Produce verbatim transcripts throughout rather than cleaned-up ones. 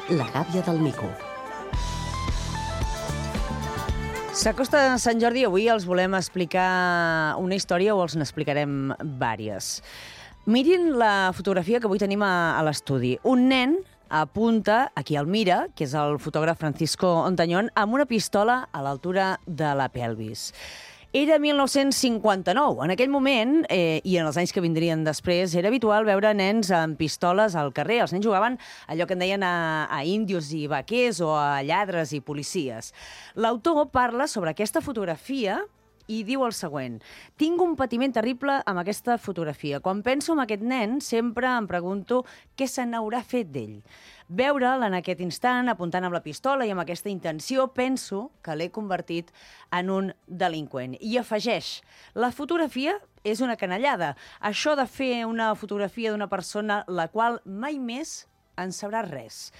La gàbia del mico. S'acosta Sant Jordi i avui els volem explicar una història o els n'explicarem vàries. Mirin la fotografia que avui tenim a, a l'estudi. Un nen apunta, aquí el mira, que és el fotògraf Francisco Ontañón, amb una pistola a l'altura de la pelvis. Era mil nou-cents cinquanta-nou. En aquell moment, eh, i en els anys que vindrien després, era habitual veure nens amb pistoles al carrer. Els nens jugaven allò que en deien a, a índios i vaquers o a lladres i policies. L'autor parla sobre aquesta fotografia i diu el següent: tinc un patiment terrible amb aquesta fotografia. Quan penso en aquest nen, sempre em pregunto què se n'haurà fet d'ell. Veure'l en aquest instant, apuntant amb la pistola i amb aquesta intenció, penso que l'he convertit en un delinqüent. I afegeix: la fotografia és una canallada. Això de fer una fotografia d'una persona la qual mai més en sabrà res.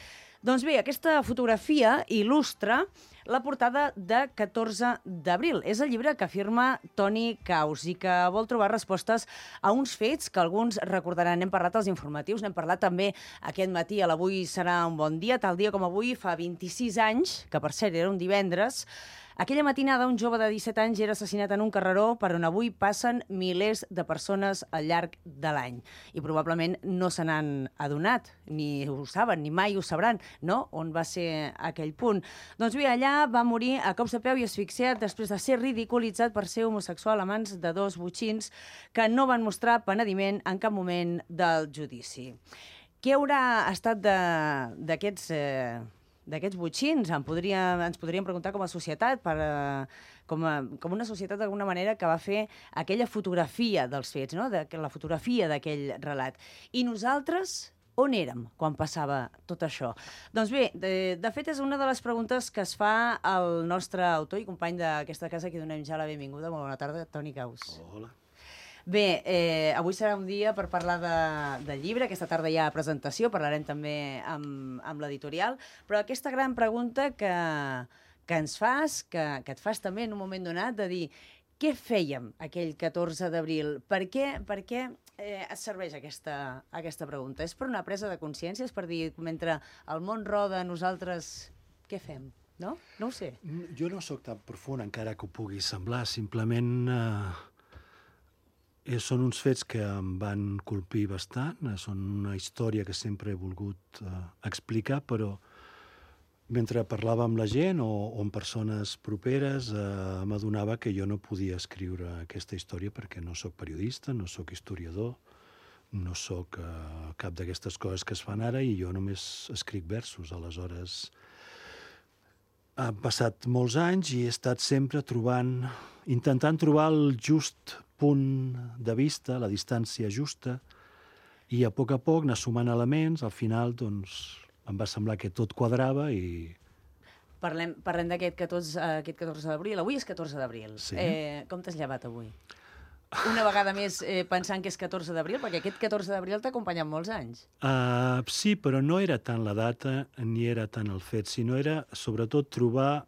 Doncs bé, aquesta fotografia il·lustra la portada de catorze d'abril. És el llibre que firma Toni Caus i que vol trobar respostes a uns fets que alguns recordaran. N'hem parlat als informatius, n'hem parlat també aquest matí a l'Avui serà un bon dia. Tal dia com avui, fa vint-i-sis anys, que per cert era un divendres, aquella matinada un jove de disset anys era assassinat en un carreró per on avui passen milers de persones al llarg de l'any. I probablement no se n'han adonat, ni ho saben, ni mai ho sabran, no? On va ser aquell punt. Doncs bé, allà va morir a cops de peu i asfixiat després de ser ridiculitzat per ser homosexual a mans de dos botxins que no van mostrar penediment en cap moment del judici. Què haurà estat d'aquests... Eh, d'aquests botxins? En podria, ens podríem preguntar com a societat, per, uh, com, a, com una societat d'alguna manera que va fer aquella fotografia dels fets, no? De, la fotografia d'aquell relat. I nosaltres on érem quan passava tot això? Doncs bé, de, de fet és una de les preguntes que es fa el nostre autor i company d'aquesta casa, que donem ja la benvinguda. Molt bona tarda, Toni Caus. Hola. Bé, eh, avui serà un dia per parlar de, de llibre. Aquesta tarda hi ha presentació, parlarem també amb, amb l'editorial, però aquesta gran pregunta que, que ens fas, que, que et fas també en un moment donat, de dir què fèiem aquell catorze d'abril? Per què, per què eh, et serveix aquesta, aquesta pregunta? És per una presa de consciència? És per dir, mentre el món roda, nosaltres què fem? No? No ho sé. Jo no sóc tan profund, encara que ho pugui semblar. Simplement... Eh... Eh, són uns fets que em van colpir bastant, eh, són una història que sempre he volgut eh, explicar, però mentre parlava amb la gent o, o amb persones properes eh, m'adonava que jo no podia escriure aquesta història perquè no sóc periodista, no sóc historiador, no sóc eh, cap d'aquestes coses que es fan ara i jo només escric versos. Aleshores, han passat molts anys i he estat sempre trobant, intentant trobar el just punt de vista, la distància justa, i a poc a poc anar sumant elements. Al final, doncs, em va semblar que tot quadrava i... Parlem, parlem d'aquest catorze d'abril. Avui és catorze d'abril. Sí. Eh, com t'has llevat avui? Una vegada més eh, pensant que és catorze d'abril, perquè aquest catorze d'abril t'ha acompanyat molts anys. Uh, sí, però no era tant la data ni era tant el fet, sinó era sobretot trobar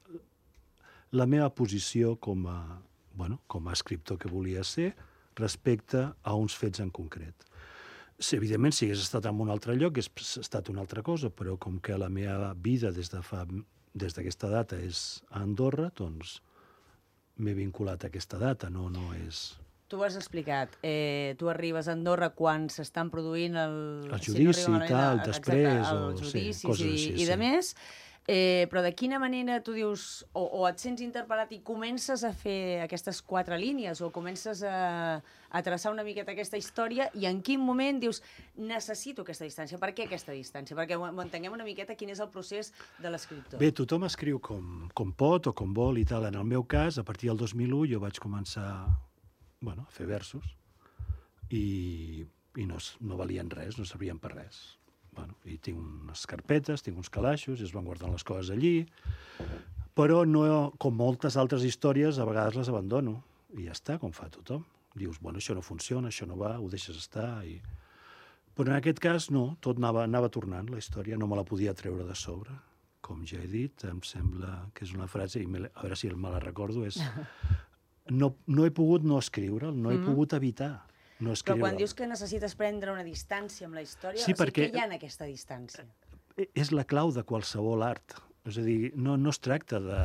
la meva posició com a, bueno, com a escriptor que volia ser respecte a uns fets en concret. Sí, evidentment, si hagués estat en un altre lloc, hagués estat una altra cosa, però com que la meva vida des de fa, des d'aquesta data és a Andorra, doncs m'he vinculat a aquesta data, no, no és... Tu ho has explicat. Eh, tu arribes a Andorra quan s'estan produint el... El judici si no i tal, a, després, exacte, o judicis sí, coses i, així. I de sí. més, eh, però de quina manera tu dius, o, o et sents interpel·lat i comences a fer aquestes quatre línies, o comences a, a traçar una miqueta aquesta història, i en quin moment dius, necessito aquesta distància? Per què aquesta distància? Perquè ho entenguem una miqueta quin és el procés de l'escriptor. Bé, tothom escriu com, com pot o com vol i tal. En el meu cas, a partir del dos mil u, jo vaig començar... bueno, a fer versos, i, i no, no valien res, no servien per res. Bueno, i tinc unes carpetes, tinc uns calaixos, i es van guardant les coses allí, però no, com moltes altres històries, a vegades les abandono, i ja està, com fa tothom. Dius, bueno, això no funciona, això no va, ho deixes estar, i... Però en aquest cas, no, tot anava, anava tornant, la història, no me la podia treure de sobre. Com ja he dit, em sembla que és una frase, i me, a veure si me la recordo, és... No, no he pogut no escriure, no he mm. pogut evitar no escriure. Però quan dius que necessites prendre una distància amb la història, sí, o sigui, perquè... què hi ha en aquesta distància? és la clau de qualsevol art. És a dir, no, no es tracta de...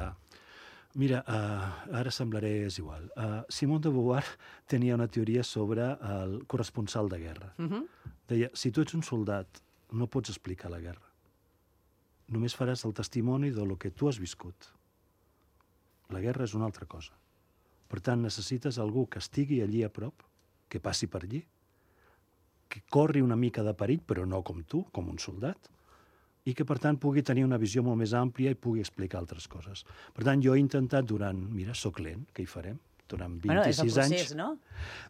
Mira, uh, ara semblaré és igual. Uh, Simone de Beauvoir tenia una teoria sobre el corresponsal de guerra. Uh-huh. Deia, si tu ets un soldat, no pots explicar la guerra. Només faràs el testimoni de lo que tu has viscut. La guerra és una altra cosa. Per tant, necessites algú que estigui allí a prop, que passi per allí, que corri una mica de perill, però no com tu, com un soldat, i que, per tant, pugui tenir una visió molt més àmplia i pugui explicar altres coses. Per tant, jo he intentat durant... Mira, soc lent, què hi farem? Durant vint-i-sis bueno, és el procés, anys, no?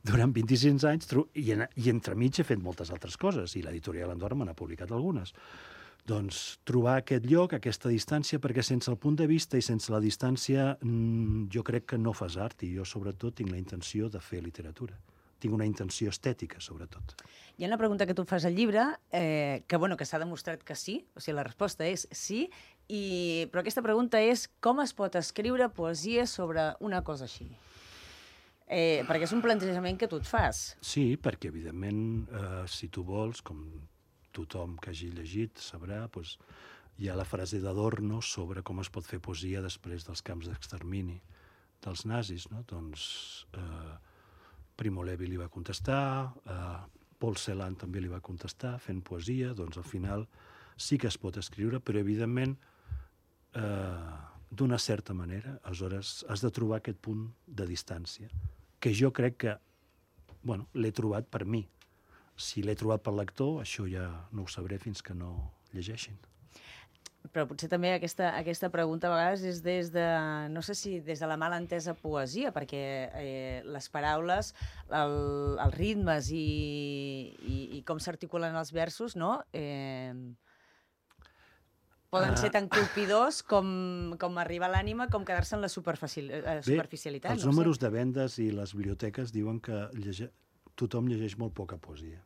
Durant vint-i-sis anys, i, en, i entremig he fet moltes altres coses, i l'editorial Andorra me n'ha publicat algunes. Doncs trobar aquest lloc, aquesta distància, perquè sense el punt de vista i sense la distància mmm, jo crec que no fas art, i jo sobretot tinc la intenció de fer literatura. Tinc una intenció estètica, sobretot. Hi ha una pregunta que tu fas al llibre, eh, que, bueno, que s'ha demostrat que sí, o sigui, la resposta és sí, i... però aquesta pregunta és com es pot escriure poesia sobre una cosa així? Eh, perquè és un plantejament que tu et fas. Sí, perquè, evidentment, eh, si tu vols, com tothom que hagi llegit sabrà, doncs, hi ha la frase d'Adorno sobre com es pot fer poesia després dels camps d'extermini dels nazis, no? Doncs eh, Primo Levi li va contestar, eh, Paul Celan també li va contestar, fent poesia, doncs al final sí que es pot escriure, però evidentment eh, d'una certa manera, aleshores has de trobar aquest punt de distància, que jo crec que, bueno, l'he trobat per mi. Si l'he trobat pel lector, això ja no ho sabré fins que no llegeixin. Però potser també aquesta, aquesta pregunta a vegades és des de, no sé si des de la mal entesa poesia, perquè eh, les paraules, el, els ritmes i, i, i com s'articulen els versos, no? Eh, poden ser tan colpidors com, com arribar a l'ànima, com quedar-se en la superficial, eh, superficialitat. Bé, els no números sé. de vendes i les biblioteques diuen que llege... tothom llegeix molt poca poesia.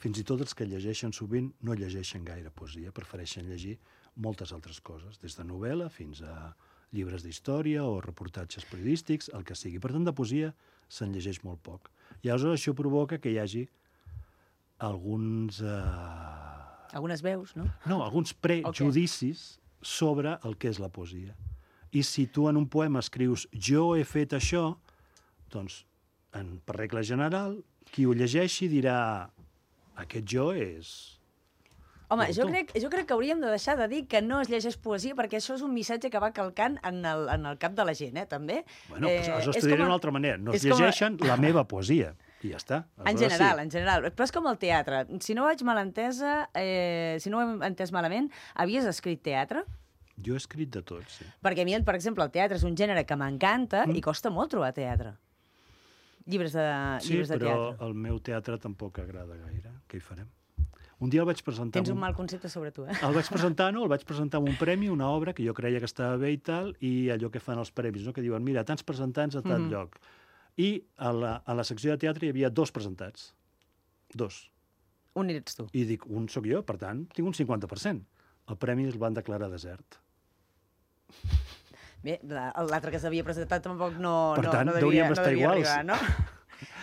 Fins i tot els que llegeixen sovint no llegeixen gaire poesia, prefereixen llegir moltes altres coses, des de novel·la fins a llibres d'història o reportatges periodístics, el que sigui. Per tant, de poesia se'n llegeix molt poc. I aleshores això provoca que hi hagi alguns... Eh... Algunes veus, no? No, alguns prejudicis okay. sobre el que és la poesia. I si tu en un poema escrius jo he fet això, doncs, en, per regla general, qui ho llegeixi dirà aquest jo és... Home, jo crec, jo crec que hauríem de deixar de dir que no es llegeix poesia, perquè això és un missatge que va calcant en el, en el cap de la gent, eh, també. Bueno, eh, doncs aleshores t'ho diré d'una altra manera. No es llegeixen a... la meva poesia, i ja està. Aleshores, en general, sí. en general. Però és com el teatre. Si no vaig mal entesa, eh, si no ho hem entès malament, havies escrit teatre? Jo he escrit de tot, sí. Perquè a mi, per exemple, el teatre és un gènere que m'encanta mm. i costa molt trobar teatre. Llibres de, sí, llibres de teatre. Sí, però el meu teatre tampoc agrada gaire. Què hi farem? Un dia el vaig presentar... Tens un mal concepte sobre tu, eh? El vaig presentar, no? El vaig presentar amb un premi, una obra que jo creia que estava bé i tal, i allò que fan els premis, no? Que diuen, mira, tants presentants a tal mm-hmm. lloc. I a la, a la secció de teatre hi havia dos presentats. Dos. Un ets tu. I dic, un sóc jo, per tant, tinc un cinquanta per cent. El premi el van declarar desert. Bé, l'altre que s'havia presentat tampoc no, per no, tant, no devia, estar no devia iguals. arribar, no?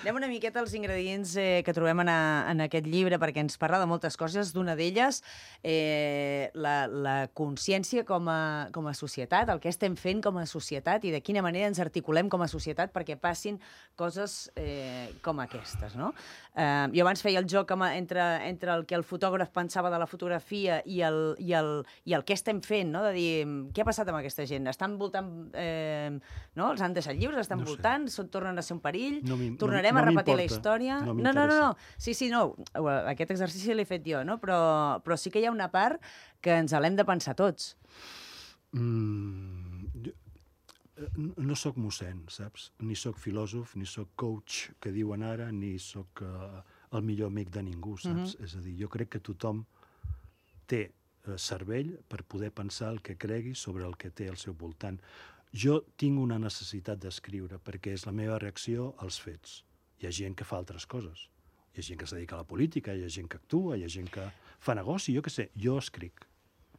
Anem una miqueta als ingredients eh, que trobem en, a, en aquest llibre, perquè ens parla de moltes coses. D'una d'elles, eh, la, la consciència com a, com a societat, el que estem fent com a societat i de quina manera ens articulem com a societat perquè passin coses eh, com aquestes, no? Eh, jo abans feia el joc entre, entre el que el fotògraf pensava de la fotografia i el, i el, i el que estem fent, no? De dir, què ha passat amb aquesta gent? Estan voltant... Eh, no? Els han deixat lliures, estan no voltant, són, tornen a ser un perill, no tornarem no, a repetir no la història... No, no, no, no, no. Sí, sí, no. Aquest exercici l'he fet jo, no? Però, però sí que hi ha una part que ens l'hem de pensar tots. Mm, jo, no sóc mossèn, saps? Ni sóc filòsof, ni sóc coach, que diuen ara, ni sóc uh, el millor amic de ningú, saps? Mm-hmm. És a dir, jo crec que tothom té uh, cervell per poder pensar el que cregui sobre el que té al seu voltant. Jo tinc una necessitat d'escriure perquè és la meva reacció als fets. Hi ha gent que fa altres coses. Hi ha gent que es dedica a la política, hi ha gent que actua, hi ha gent que fa negoci, jo què sé, jo escric.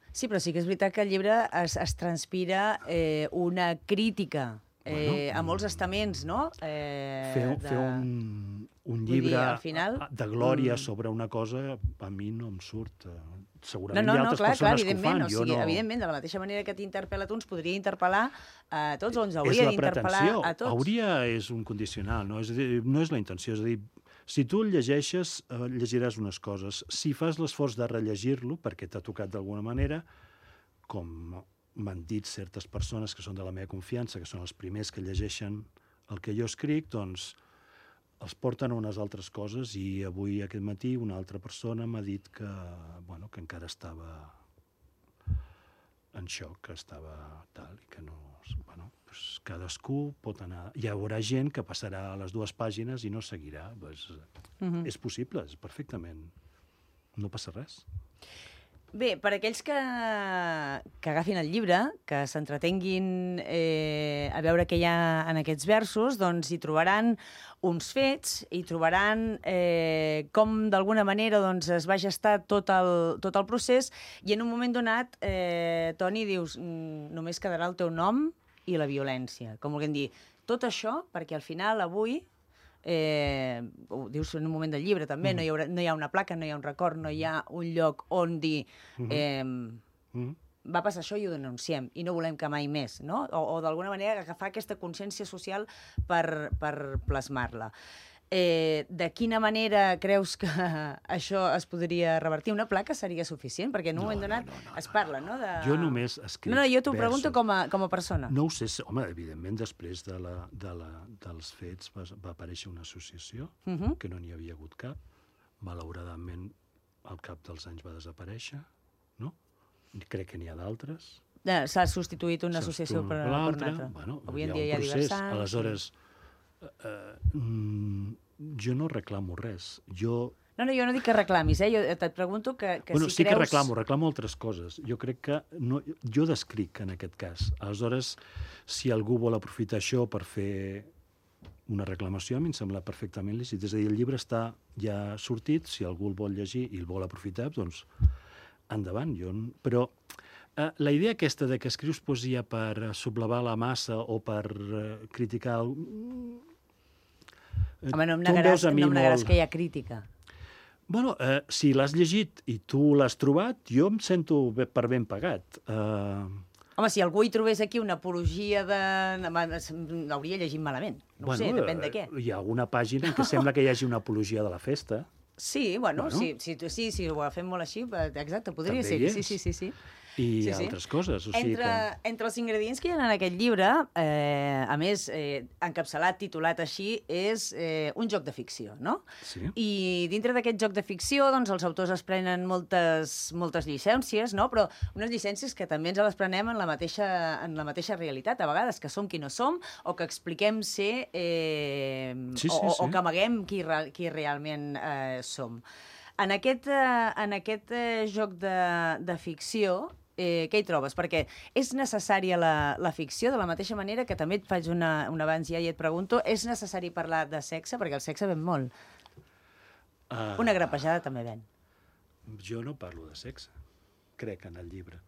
Sí, però sí que és veritat que al llibre es, es transpira eh, una crítica eh, bueno, a molts estaments, no? Eh, fer, de... fer un... un Vull dir, llibre al final, de glòria mm. sobre una cosa, a mi no em surt. No, Segurament no, hi ha no, altres clar, clar, persones que ho evidentment, fan. o Jo sigui, no... evidentment, de la mateixa manera que t'interpel·la a tu, ens podria interpel·lar a tots, o ens És hauria la d'interpel·lar pretensió. a tots. Hauria és un condicional, no? És a dir, no és la intenció. És a dir, si tu el llegeixes, eh, llegiràs unes coses. Si fas l'esforç de rellegir-lo, perquè t'ha tocat d'alguna manera, com m'han dit certes persones que són de la meva confiança, que són els primers que llegeixen el que jo escric, doncs els porten a unes altres coses, i avui, aquest matí, una altra persona m'ha dit que, bueno, que encara estava en xoc, que estava tal, i que no... Bueno, doncs cadascú pot anar... Hi haurà gent que passarà a les dues pàgines i no seguirà. Doncs, mm-hmm. És possible, és perfectament. No passa res. Bé, per aquells que, que agafin el llibre, que s'entretenguin eh, a veure què hi ha en aquests versos, doncs hi trobaran uns fets, hi trobaran eh, com d'alguna manera doncs, es va gestar tot el, tot el procés, i en un moment donat, eh, Toni, dius, només quedarà el teu nom i la violència. Com vulguem dir, tot això perquè al final, avui, Eh, ho dius en un moment del llibre també, mm. no, hi haurà, no hi ha una placa, no hi ha un record, no hi ha un lloc on dir eh, mm. va passar això i ho denunciem i no volem que mai més, no? O, o d'alguna manera agafar aquesta consciència social per, per plasmar-la. Eh, de quina manera creus que això es podria revertir? Una placa seria suficient? Perquè en un no, moment donat no, no, no, es parla, no? De... Jo només escric No, no, jo t'ho versos. pregunto com a, com a persona. No ho sé, home, evidentment després de la, de la, dels fets va, va aparèixer una associació, uh -huh. que no n'hi havia hagut cap. Malauradament, al cap dels anys va desaparèixer, no? Crec que n'hi ha d'altres. S'ha substituït una associació per, per una altra. Bueno, avui en hi dia hi ha procés. diversants. Aleshores, eh, mm, jo no reclamo res. Jo... No, no, jo no dic que reclamis, eh? Jo et pregunto que, que bueno, si sí creus... que reclamo, reclamo altres coses. Jo crec que... No, jo descric, en aquest cas. Aleshores, si algú vol aprofitar això per fer una reclamació, a mi em sembla perfectament lícit. És a dir, el llibre està ja sortit, si algú el vol llegir i el vol aprofitar, doncs endavant. Jo... Però eh, la idea aquesta de que escrius poesia per sublevar la massa o per eh, criticar... El... Home, no em negaràs, no em negaràs molt... que hi ha crítica. Bueno, eh, si l'has llegit i tu l'has trobat, jo em sento per ben pagat. Uh... Home, si algú hi trobés aquí una apologia de... l'hauria llegit malament. No bueno, ho sé, depèn de què. Hi ha alguna pàgina en què sembla que hi hagi una apologia de la festa. Sí, bueno, bueno. Sí, sí, sí, sí, ho fem molt així, exacte, podria també ser. Sí, sí, sí, sí. I sí, altres sí. coses. O sigui entre, que... entre els ingredients que hi ha en aquest llibre, eh, a més, eh, encapçalat, titulat així, és eh, un joc de ficció, no? Sí. I dintre d'aquest joc de ficció, doncs, els autors es prenen moltes, moltes llicències, no? Però unes llicències que també ens les prenem en la mateixa, en la mateixa realitat, a vegades, que som qui no som, o que expliquem ser... Eh, sí, sí, o, sí. o que amaguem qui, qui realment eh, som. En aquest, eh, en aquest eh, joc de, de ficció, Eh, què hi trobes? Perquè és necessària la, la ficció, de la mateixa manera que també et faig una, un abans ja i et pregunto, és necessari parlar de sexe? Perquè el sexe ven molt. Uh, una grapejada també ven. Jo no parlo de sexe, crec, en el llibre.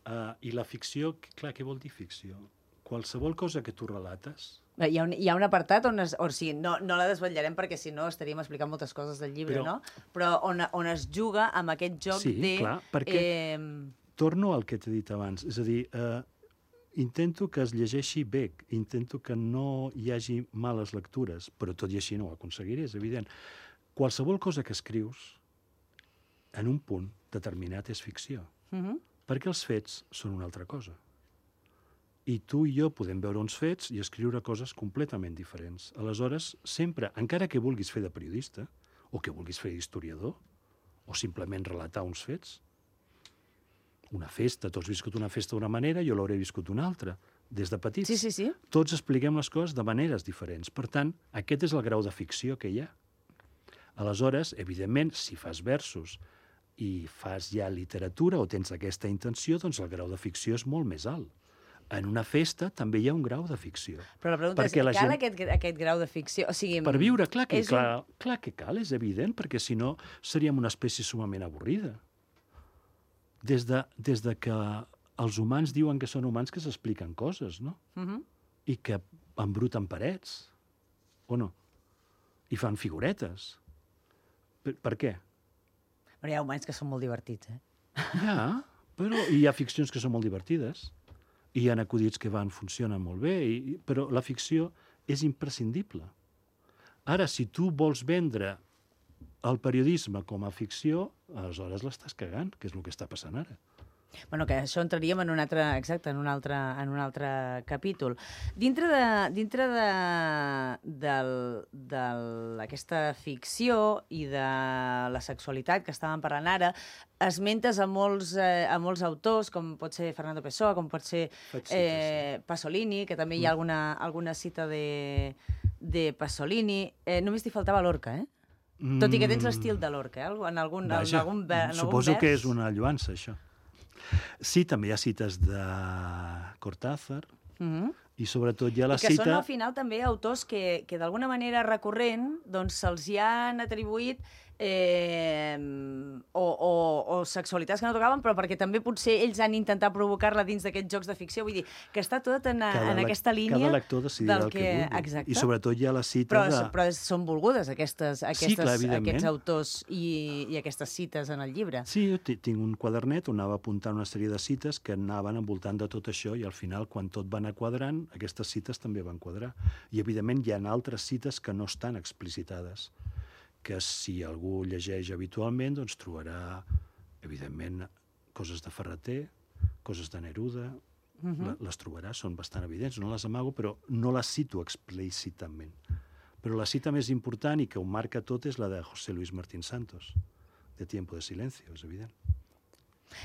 Uh, I la ficció, clar, què vol dir ficció? Qualsevol cosa que tu relates... Hi ha un, hi ha un apartat on es... O sigui, no, no la desvetllarem perquè si no estaríem explicant moltes coses del llibre, però, no? Però on, on es juga amb aquest joc sí, de... Sí, clar, perquè... Eh, torno al que t'he dit abans, és a dir, eh, intento que es llegeixi bé, intento que no hi hagi males lectures, però tot i així no ho aconseguiré, és evident. Qualsevol cosa que escrius, en un punt determinat, és ficció, uh-huh. perquè els fets són una altra cosa. I tu i jo podem veure uns fets i escriure coses completament diferents. Aleshores, sempre, encara que vulguis fer de periodista, o que vulguis fer d'historiador, o simplement relatar uns fets, una festa, tu has viscut una festa d'una manera, jo l'hauré viscut d'una altra, des de petits. Sí, sí, sí. Tots expliquem les coses de maneres diferents. Per tant, aquest és el grau de ficció que hi ha. Aleshores, evidentment, si fas versos i fas ja literatura o tens aquesta intenció, doncs el grau de ficció és molt més alt. En una festa també hi ha un grau de ficció. Però la pregunta perquè és, la cal gent... aquest, aquest grau de ficció? O sigui, per viure, clar que, clar, un... clar que cal, és evident, perquè si no seríem una espècie sumament avorrida. Des de, des de que els humans diuen que són humans que s'expliquen coses, no? Uh-huh. I que embruten parets, o no? i fan figuretes. Per, per què? Però hi ha moments que són molt divertits, eh? Ja, però hi ha ficcions que són molt divertides, i hi ha acudits que van, funcionen molt bé, i, però la ficció és imprescindible. Ara, si tu vols vendre el periodisme com a ficció, aleshores l'estàs cagant, que és el que està passant ara. Bueno, que això entraríem en un altre, exacte, en un altre, en un altre capítol. Dintre de, dintre de, del, de aquesta ficció i de la sexualitat que estàvem parlant ara, esmentes a molts, eh, a molts autors, com pot ser Fernando Pessoa, com pot ser eh, Pasolini, que també hi ha alguna, alguna cita de, de Pasolini. Eh, només t'hi faltava Lorca, eh? Mm. Tot i que tens l'estil de Lorca, eh? En algun, Vaja, en algun, en algun suposo vers. que és una lluança, això. Sí, també hi ha cites de Cortázar, mm-hmm. i sobretot hi ha la I que cita... són al final també autors que, que d'alguna manera recurrent doncs se'ls hi han atribuït eh, o, o, o sexualitats que no tocaven, però perquè també potser ells han intentat provocar-la dins d'aquests jocs de ficció. Vull dir, que està tot en, en aquesta línia... Cada lector decidirà del el que, que vulgui. Exacte. I sobretot hi ha la cita però, de... Però són volgudes aquestes, aquestes, sí, clar, aquests autors i, i aquestes cites en el llibre. Sí, jo tinc un quadernet on anava apuntant una sèrie de cites que anaven envoltant de tot això i al final, quan tot va anar quadrant, aquestes cites també van quadrar. I, evidentment, hi ha altres cites que no estan explicitades, que si algú llegeix habitualment, doncs trobarà, evidentment, coses de Ferreter, coses de Neruda, uh-huh. les trobarà, són bastant evidents, no les amago, però no les cito explícitament. Però la cita més important i que ho marca tot és la de José Luis Martín Santos, de Tiempo de Silencio, és evident.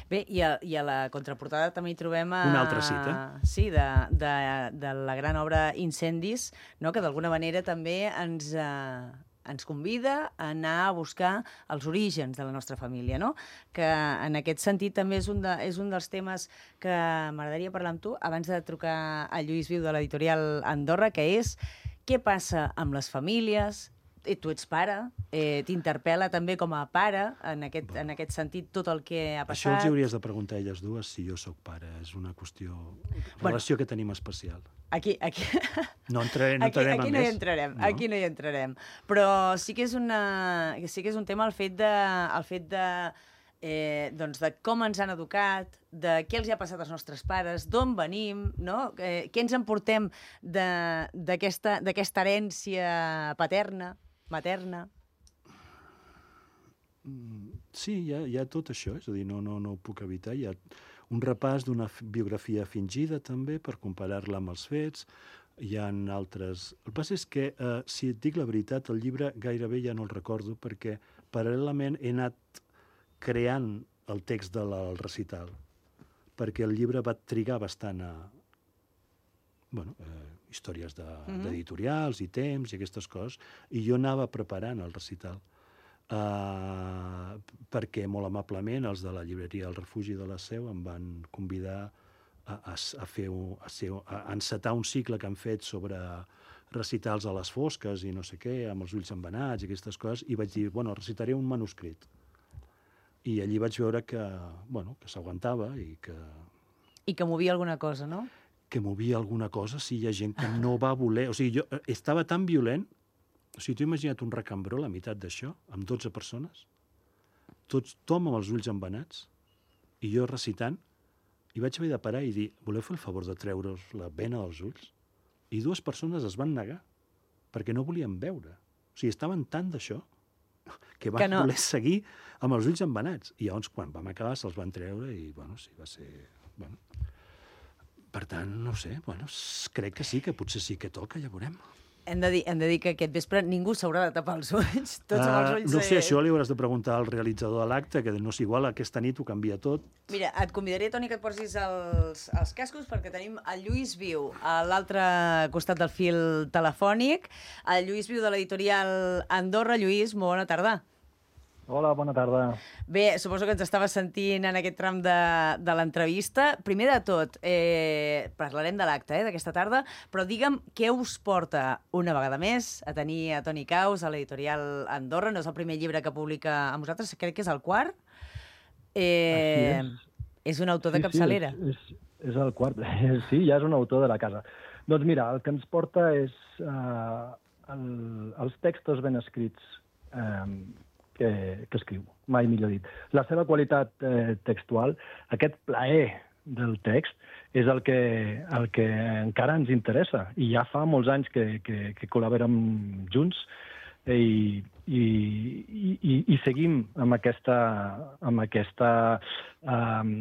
Bé, i a, i a la contraportada també hi trobem... A... Una altra cita. Sí, de, de, de la gran obra Incendis, no? Que d'alguna manera també ens... Eh... ens convida a anar a buscar els orígens de la nostra família, no? Que en aquest sentit també és un, de, és un dels temes que m'agradaria parlar amb tu abans de trucar a Lluís Viu de l'editorial Andorra, que és què passa amb les famílies. Eh, tu ets pare, eh, t'interpel·la també com a pare, en aquest, bueno, en aquest sentit, tot el que ha passat. Això els hauries de preguntar a elles dues si jo sóc pare. És una qüestió, bueno, relació que tenim especial. Aquí, aquí... No, entraré, no aquí, aquí a no més. hi entrarem, no? aquí no hi entrarem. Però sí que és, una, sí que és un tema el fet de, el fet de, eh, doncs de com ens han educat, de què els hi ha passat als nostres pares, d'on venim, no? Eh, què ens emportem d'aquesta herència paterna, materna. Sí, hi ha, hi ha tot això, és a dir, no, no, no ho puc evitar. Hi ha un repàs d'una biografia fingida, també, per comparar-la amb els fets. Hi ha altres... El que passa és que, eh, si et dic la veritat, el llibre gairebé ja no el recordo, perquè paral·lelament he anat creant el text del recital, perquè el llibre va trigar bastant a... Bueno, eh, històries d'editorials de, mm-hmm. i temps i aquestes coses, i jo anava preparant el recital. Uh, perquè molt amablement els de la llibreria El Refugi de la Seu em van convidar a, a, a, fer un, a, ser, a encetar un cicle que han fet sobre recitals a les fosques i no sé què, amb els ulls embenats i aquestes coses, i vaig dir, bueno, recitaré un manuscrit. I allí vaig veure que, bueno, que s'aguantava i que... I que movia alguna cosa, no? Que movia alguna cosa, si hi ha gent que no va voler... O sigui, jo estava tan violent. O sigui, t'ho imagina't un recambró, la meitat d'això, amb dotze persones, tots, tothom amb els ulls embenats, i jo recitant, i vaig haver de parar i dir, voleu fer el favor de treure's la vena dels ulls? I dues persones es van negar, perquè no volien veure. O sigui, estaven tant d'això, que van que no. voler seguir amb els ulls embenats. I llavors, quan vam acabar, se'ls van treure i, bueno, sí, va ser... Bueno. Per tant, no sé, bueno, crec que sí, que potser sí que toca, ja veurem. Hem de, dir, hem de dir que aquest vespre ningú s'haurà de tapar els ulls. Tots uh, amb els ulls... No sé, això li hauràs de preguntar al realitzador de l'acte, que no és igual, aquesta nit ho canvia tot. Mira, et convidaré, Toni, que et posis els, els cascos, perquè tenim el Lluís Viu a l'altre costat del fil telefònic, el Lluís Viu de l'editorial Andorra. Lluís, molt bona tarda. Hola, bona tarda. Bé, suposo que ens estaves sentint en aquest tram de, de l'entrevista. Primer de tot, eh, parlarem de l'acte eh, d'aquesta tarda, però digue'm què us porta una vegada més a tenir a Toni Caus a l'editorial Andorra. No és el primer llibre que publica amb vosaltres, crec que és el quart. Eh, és. és un autor sí, de capçalera. Sí, és, és, és el quart. Sí, ja és un autor de la casa. Doncs mira, el que ens porta és... Uh, el, els textos ben escrits eh, que, que escriu, mai millor dit. La seva qualitat eh, textual, aquest plaer del text, és el que, el que encara ens interessa. I ja fa molts anys que, que, que col·laborem junts i, i, i, i seguim amb aquesta, amb aquesta um,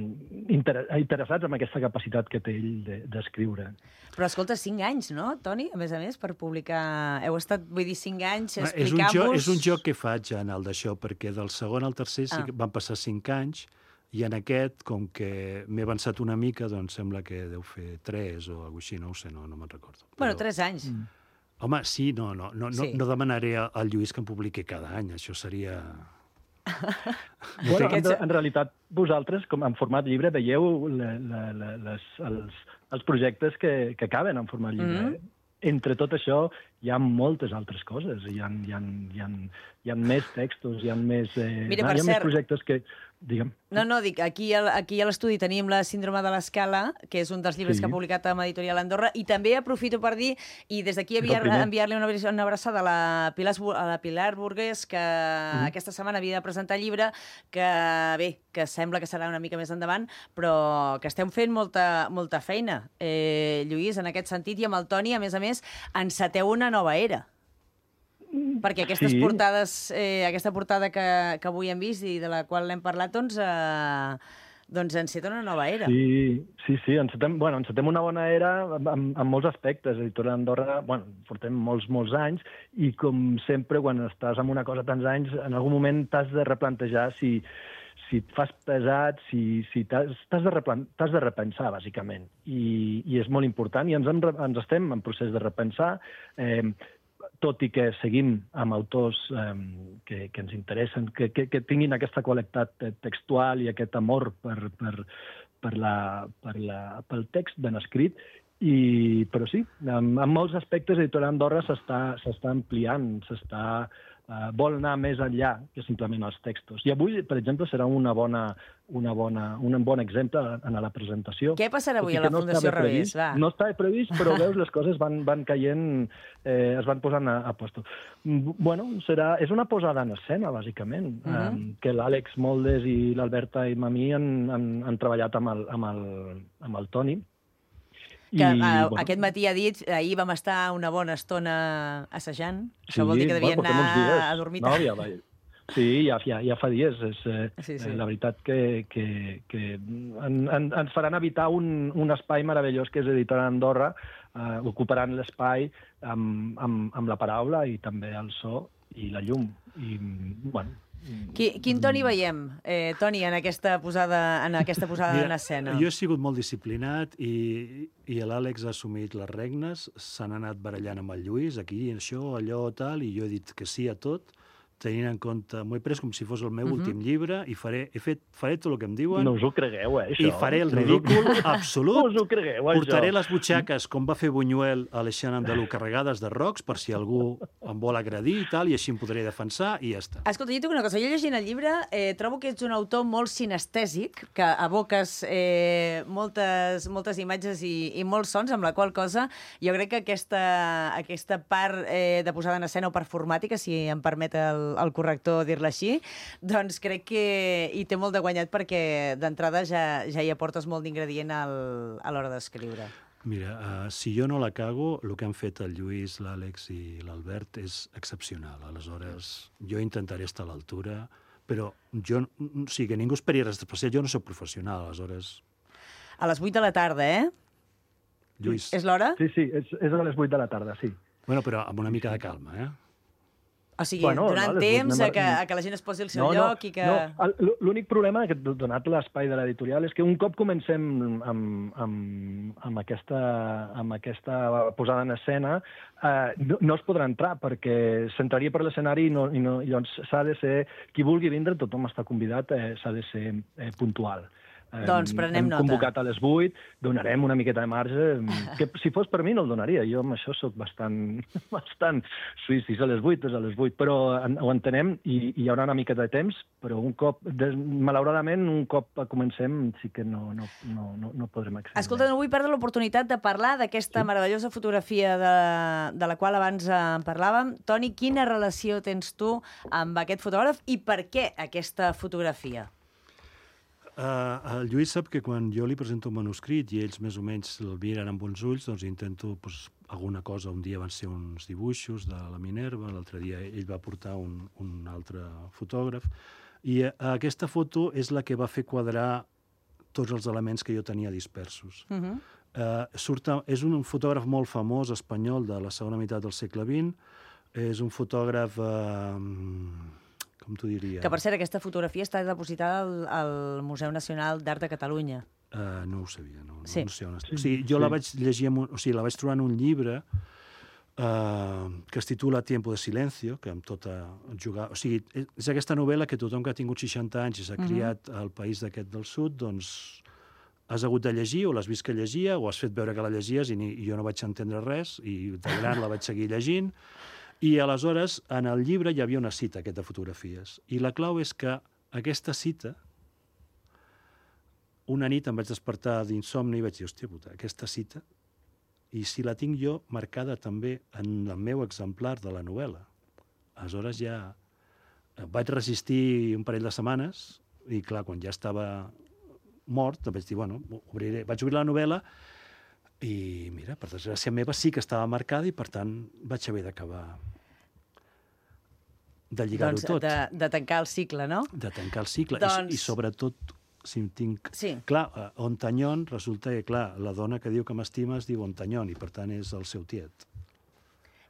inter, interessats amb aquesta capacitat que té ell d'escriure. Però escolta, cinc anys, no, Toni? A més a més, per publicar... Heu estat, vull dir, cinc anys és un, explicant-vos... joc, és un joc que faig en el d'això, perquè del segon al tercer sí que van passar cinc anys, i en aquest, com que m'he avançat una mica, doncs sembla que deu fer tres o alguna així, no ho sé, no, no me'n recordo. Però... Bueno, tres anys. Mm. Home, sí, no, no, no, Sí. no, no demanaré al Lluís que em publiqui cada any, això seria... Bueno, en, en realitat, vosaltres, com en format llibre, veieu le, le, le, les, els, els projectes que, que caben en format llibre. Mm -hmm. Entre tot això, hi ha moltes altres coses. Hi ha, hi ha, hi ha, hi ha més textos, hi ha més, eh, Mira, hi ha per més cert... projectes que... Digue'm. No, no, dic, aquí, al- aquí a l'estudi tenim la Síndrome de l'Escala, que és un dels llibres Sí. que ha publicat amb Editorial Andorra, i també aprofito per dir, i des d'aquí És el enviar- primer. enviar-li una, abra- una abraçada a la, Pilar, a la Pilar Burgués, que Mhm. aquesta setmana havia de presentar el llibre, que bé, que sembla que serà una mica més endavant, però que estem fent molta, molta feina. Eh, Lluís, en aquest sentit, i amb el Toni, a més a més, enceteu una nova era. Perquè aquestes Sí. portades, eh, aquesta portada que, que avui hem vist i de la qual l'hem parlat, doncs, eh, doncs enceta una nova era. Sí, sí, sí, encetem, bueno, encetem una bona era en, en molts aspectes. Editorial Andorra, bueno, portem molts, molts anys, i com sempre, quan estàs en una cosa tants anys, en algun moment t'has de replantejar si, si et fas pesat, si, si t'has de, replan, t'has de repensar, bàsicament. I, I és molt important, i ens, hem, ens estem en procés de repensar, eh, tot i que seguim amb autors eh, que, que ens interessen, que, que, que tinguin aquesta qualitat textual i aquest amor per, per, per, la, per la, pel text ben escrit, i, però sí, en, en molts aspectes Editorial Andorra s'està ampliant, s'està... Uh, vol anar més enllà que simplement els textos. I avui, per exemple, serà una bona, una bona, un bon exemple en la presentació. Què passarà avui Tot i a la que no Fundació estava Revés? previst, Va. No estava previst, però veus, les coses van, van caient, eh, es van posant a, a puesto. Mm, Bueno, serà, és una posada en escena, bàsicament, Mhm. um, que l'Àlex Moldes i l'Alberta i Mamí han, han, han treballat amb el, amb el, amb el Toni. Que I, uh, bueno, aquest matí ha dit, ahir vam estar una bona estona assajant. Sí, Això vol dir que devien bueno, portem uns anar dies. a dormir No, tard. ja, va. Sí, ja, ja, ja fa dies. És, eh, Sí, sí. eh, la veritat que, que, que en, en, ens faran evitar un, un espai meravellós que és Editorial Andorra, eh, ocuparan l'espai amb, amb, amb la paraula i també el so i la llum. I, bueno, Qui, quin Toni veiem, eh, Toni, en aquesta posada en, aquesta posada en escena? Jo he sigut molt disciplinat i, i l'Àlex ha assumit les regnes, s'han anat barallant amb el Lluís, aquí, això, allò, tal, i jo he dit que sí a tot, tenint en compte, m'ho he pres com si fos el meu uh -huh. últim llibre, i faré, he fet, faré tot el que em diuen, no us ho cregueu, eh, això? i faré el No us ho- ridícul No absolut. us ho cregueu, això? Portaré les butxaques, com va fer Buñuel a l'Eixant Andalú, carregades de rocs, per si algú em vol agredir i tal, i així em podré defensar, i ja està. Escolta, jo tinc una cosa. Jo llegint el llibre eh, trobo que ets un autor molt sinestèsic, que aboques eh, moltes, moltes imatges i, i molts sons, amb la qual cosa jo crec que aquesta, aquesta part eh, de posada en escena o performàtica, si em permet el, el corrector dir-la així, doncs crec que hi té molt de guanyat perquè d'entrada ja, ja hi aportes molt d'ingredient al, a l'hora d'escriure. Mira, uh, si jo no la cago, el que han fet el Lluís, l'Àlex i l'Albert és excepcional. Aleshores, jo intentaré estar a l'altura, però jo, o sigui, que ningú esperi res especial, jo no soc professional, aleshores... A les vuit de la tarda, eh? Lluís... És l'hora? Sí, sí, és, és a les vuit de la tarda, sí. Bueno, però amb una mica de calma, eh? O sigui, Bueno, donant no, les temps anem a- a que, a que la gent es posi al seu lloc i que... No, el- l'únic problema, que donat l'espai de l'editorial, és que un cop comencem amb, amb, amb, aquesta, amb aquesta posada en escena, eh, no, no es podrà entrar, perquè s'entraria per l'escenari i, no, i, no, i llavors s'ha de ser... Qui vulgui vindre, tothom està convidat, eh, s'ha de ser eh, puntual. Eh, Doncs prenem hem nota. convocat a les vuit, donarem una miqueta de marge, que si fos per mi no el donaria. Jo amb això sóc bastant, bastant suís, si és a les vuit, és a les vuit, però en, ho entenem i, i hi haurà una miqueta de temps, però un cop, des, malauradament, un cop comencem sí que no, no, no, no, no podrem accedir. Escolta, no vull perdre l'oportunitat de parlar d'aquesta sí. meravellosa fotografia de, de la qual abans eh, parlàvem. Toni, quina relació tens tu amb aquest fotògraf i per què aquesta fotografia? Uh, el Lluís sap que quan jo li presento un manuscrit i ells més o menys el miren amb bons ulls, doncs intento pues, alguna cosa. Un dia van ser uns dibuixos de la Minerva, l'altre dia ell va portar un, un altre fotògraf, i uh, aquesta foto és la que va fer quadrar tots els elements que jo tenia dispersos. Uh -huh. uh, surta, és un fotògraf molt famós espanyol de la segona meitat del segle vint, és un fotògraf... Uh, com t'ho diria? Que, per cert, aquesta fotografia està depositada al, al Museu Nacional d'Art de Catalunya. Uh, no ho sabia, no, no, sí. no sé on està. O sigui, jo sí. la vaig llegir, en un, o sigui, la vaig trobar en un llibre uh, que es titula Tiempo de Silencio, que amb tota jugar... O sigui, és aquesta novel·la que tothom que ha tingut seixanta anys i s'ha uh -huh. criat al país d'aquest del sud, doncs has hagut de llegir, o l'has vist que llegia, o has fet veure que la llegies i, ni, i jo no vaig entendre res, i de gran la vaig seguir llegint. I aleshores, en el llibre hi havia una cita, aquesta de fotografies. I la clau és que aquesta cita, una nit em vaig despertar d'insomni i vaig dir, hòstia puta, aquesta cita, i si la tinc jo marcada també en el meu exemplar de la novel·la. Aleshores ja vaig resistir un parell de setmanes i, clar, quan ja estava mort, vaig dir, bueno, obriré. Vaig obrir la novel·la i, mira, per desgràcia meva sí que estava marcada i, per tant, vaig haver d'acabar de lligar-ho doncs, tot. De, de tancar el cicle, no? De tancar el cicle. Doncs... I, I, sobretot, si em tinc... Sí. Clar, uh, Ontanyón, resulta que, clar, la dona que diu que m'estima es diu Ontanyón i, per tant, és el seu tiet.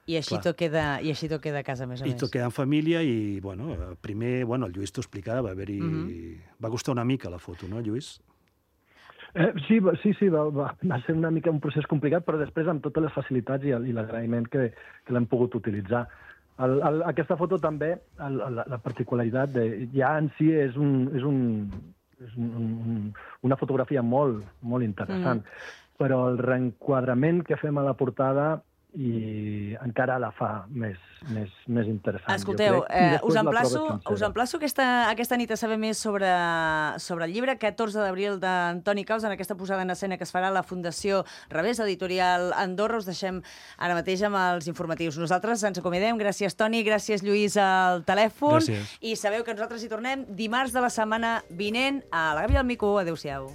I així tot queda, i així tot queda a casa, més o I més. I tot queda en família i, bueno, primer, bueno, el Lluís t'ho explicava, va haver-hi... Mm -hmm. Va costar una mica la foto, no, Lluís? Eh, sí, sí, sí, va, va, va ser una mica un procés complicat, però després amb totes les facilitats i, i l'agraïment que, que l'hem pogut utilitzar. El, el, aquesta foto també, el, la, la particularitat de, ja en si és, un, és, un, és un, un, una fotografia molt, molt interessant, mm. però el reenquadrament que fem a la portada i encara la fa més, més, més interessant. Escolteu, eh, us emplaço, us emplaço aquesta, aquesta nit a saber més sobre, sobre el llibre, catorze d'abril d'Antoni Caus, en aquesta posada en escena que es farà a la Fundació Revés Editorial Andorra. Us deixem ara mateix amb els informatius. Nosaltres ens acomiadem. Gràcies, Toni, gràcies, Lluís, al telèfon. Gràcies. I sabeu que nosaltres hi tornem dimarts de la setmana vinent a la Gàbia del Mico. Adéu-siau.